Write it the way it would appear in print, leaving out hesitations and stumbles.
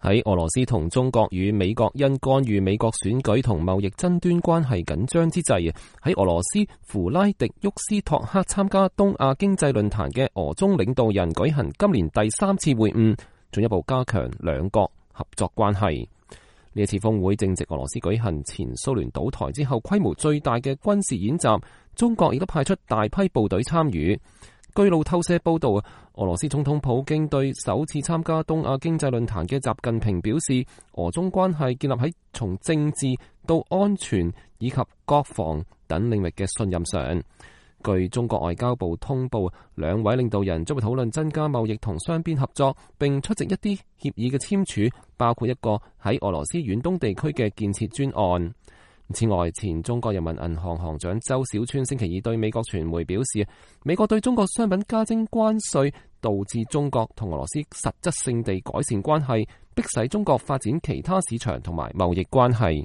喺俄羅斯同中國與美國因干預美國選舉同貿易爭端關係緊張之際，喺俄羅斯弗拉迪沃斯托克參加東亞經濟論壇嘅俄中領導人舉行今年第3次會晤，進一步加強兩國合作關係。呢一次峰會正值俄羅斯舉行前蘇聯倒台之後規模最大嘅軍事演習，中國亦都派出大批部隊參與。據路透社報道，俄羅斯總統普京對首次參加東亞經濟論壇嘅習近平表示，俄中關係建立喺從政治到安全以及國防等領域嘅信任上。據中國外交部通報，兩位領導人將會討論增加貿易同雙邊合作，並出席一啲協議嘅簽署，包括一個喺俄羅斯遠東地區嘅建設專案。此外，前中國人民銀行行長周小川星期二對美國傳媒表示，美國對中國商品加徵關稅，導致中國同俄羅斯實質性地改善關係，迫使中國發展其他市場同埋貿易關係。